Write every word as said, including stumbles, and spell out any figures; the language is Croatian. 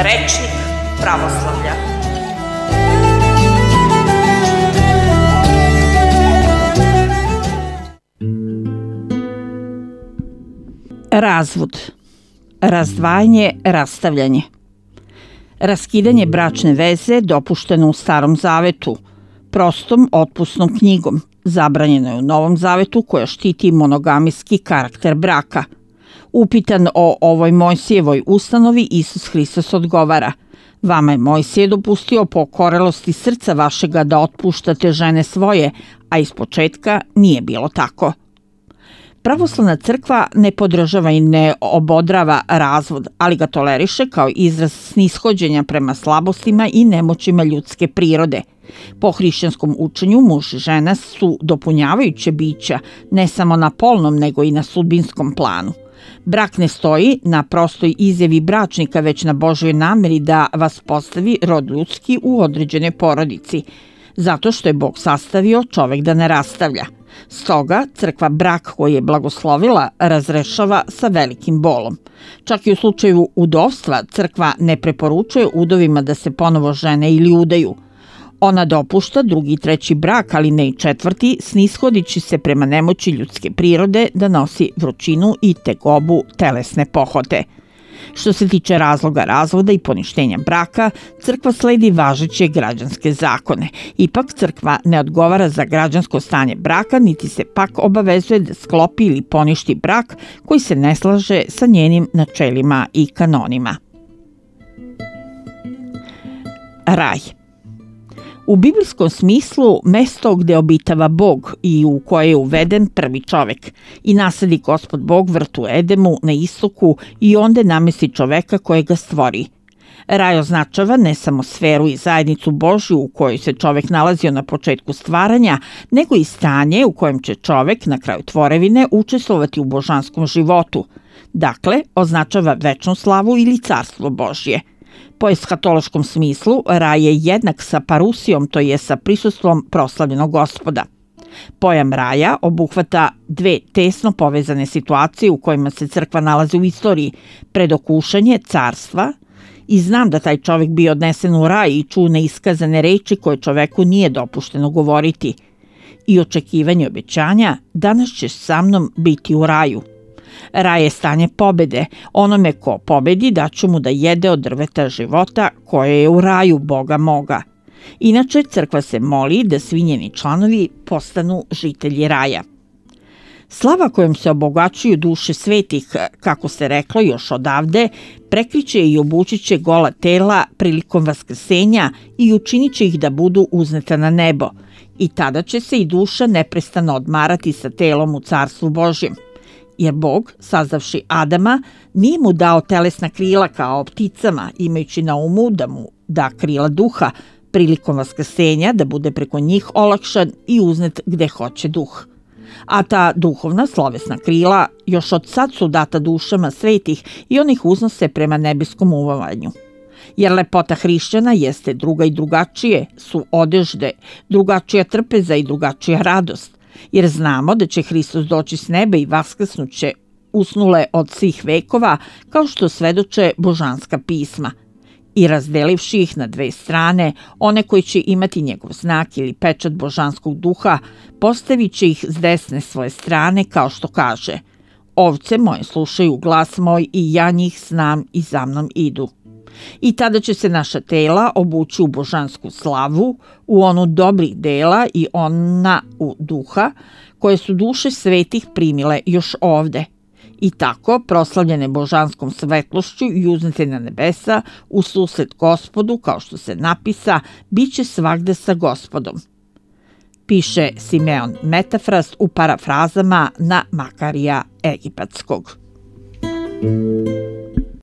Rečnik pravoslavlja. Razvod, razdvajanje, rastavljanje. Raskidanje bračne veze dopušteno u Starom zavetu, prostom otpusnom knjigom, zabranjeno je u Novom zavetu koja štiti monogamijski karakter braka. Upitan o ovoj Mojsijevoj ustanovi, Isus Hristos odgovara: vama je Mojsije dopustio po okorelosti srca vašega da otpuštate žene svoje, a ispočetka nije bilo tako. Pravoslavna crkva ne podržava i ne obodrava razvod, ali ga toleriše kao izraz snishođenja prema slabostima i nemoćima ljudske prirode. Po hrišćanskom učenju muž i žena su dopunjavajuće bića, ne samo na polnom nego i na sudbinskom planu. Brak ne stoji na prostoj izjavi bračnika, već na Božjoj nameri da vas postavi rod ljudski u određenoj porodici, zato što je Bog sastavio čovek da ne rastavlja. Stoga crkva brak koji je blagoslovila razrešava sa velikim bolom. Čak i u slučaju udovstva crkva ne preporučuje udovima da se ponovo žene ili udaju. Ona dopušta drugi i treći brak, ali ne i četvrti, snishodići se prema nemoći ljudske prirode da nosi vrućinu i tegobu telesne pohote. Što se tiče razloga razvoda i poništenja braka, crkva sledi važeće građanske zakone. Ipak crkva ne odgovara za građansko stanje braka, niti se pak obavezuje da sklopi ili poništi brak koji se ne slaže sa njenim načelima i kanonima. Raj. U biblijskom smislu mesto gde obitava Bog i u koje je uveden prvi čovek i nasadi Gospod Bog vrt u Edemu na istoku i onda namesti čoveka koje ga stvori. Raj označava ne samo sferu i zajednicu Božju u kojoj se čovek nalazio na početku stvaranja, nego i stanje u kojem će čovek na kraju tvorevine učestvovati u božanskom životu. Dakle, označava večnu slavu ili carstvo Božje. Po eskatološkom smislu, raj je jednak sa parusijom, to je sa prisustvom proslavljenog Gospoda. Pojam raja obuhvata dve tesno povezane situacije u kojima se crkva nalazi u istoriji: predokušanje carstva i znam da taj čovek bio odnesen u raj i čuo neiskazane reči koje čoveku nije dopušteno govoriti, i očekivanje obećanja: danas ćeš sa mnom biti u raju. Raj je stanje pobede. Onome ko pobedi daću mu da jede od drveta života koje je u raju Boga moga. Inače, crkva se moli da svi njeni članovi postanu žitelji raja. Slava kojom se obogaćuju duše svetih, kako se reklo još odavde, prekriće i obučiće gola tela prilikom vaskrsenja i učinit će ih da budu uzneta na nebo. I tada će se i duša neprestano odmarati sa telom u carstvu Božjem. Jer Bog, sazdavši Adama, nije mu dao telesna krila kao pticama, imajući na umu da mu da krila duha, prilikom vaskrsenja da bude preko njih olakšan i uznet gde hoće duh. A ta duhovna slovesna krila još od sad su data dušama svetih i onih uznose prema nebeskom uvavanju. Jer lepota hrišćana jeste druga i drugačije, su odežde, drugačija trpeza i drugačija radost. Jer znamo da će Hristos doći s neba i vaskrsnuće usnule od svih vekova, kao što svedoče božanska pisma. I razdelivši ih na dve strane, one koji će imati njegov znak ili pečat božanskog duha, postavit će ih s desne svoje strane, kao što kaže: ovce moje slušaju glas moj i ja njih znam i za mnom idu. I tada će se naša tela obući u božansku slavu, u onu dobrih dela i ona u duha, koje su duše svetih primile još ovde. I tako, proslavljene božanskom svetlošću i uznete na nebesa, u susret Gospodu, kao što se napisa, bit će svagde sa Gospodom. Piše Simeon Metafrast u parafrazama na Makarija Egipatskog.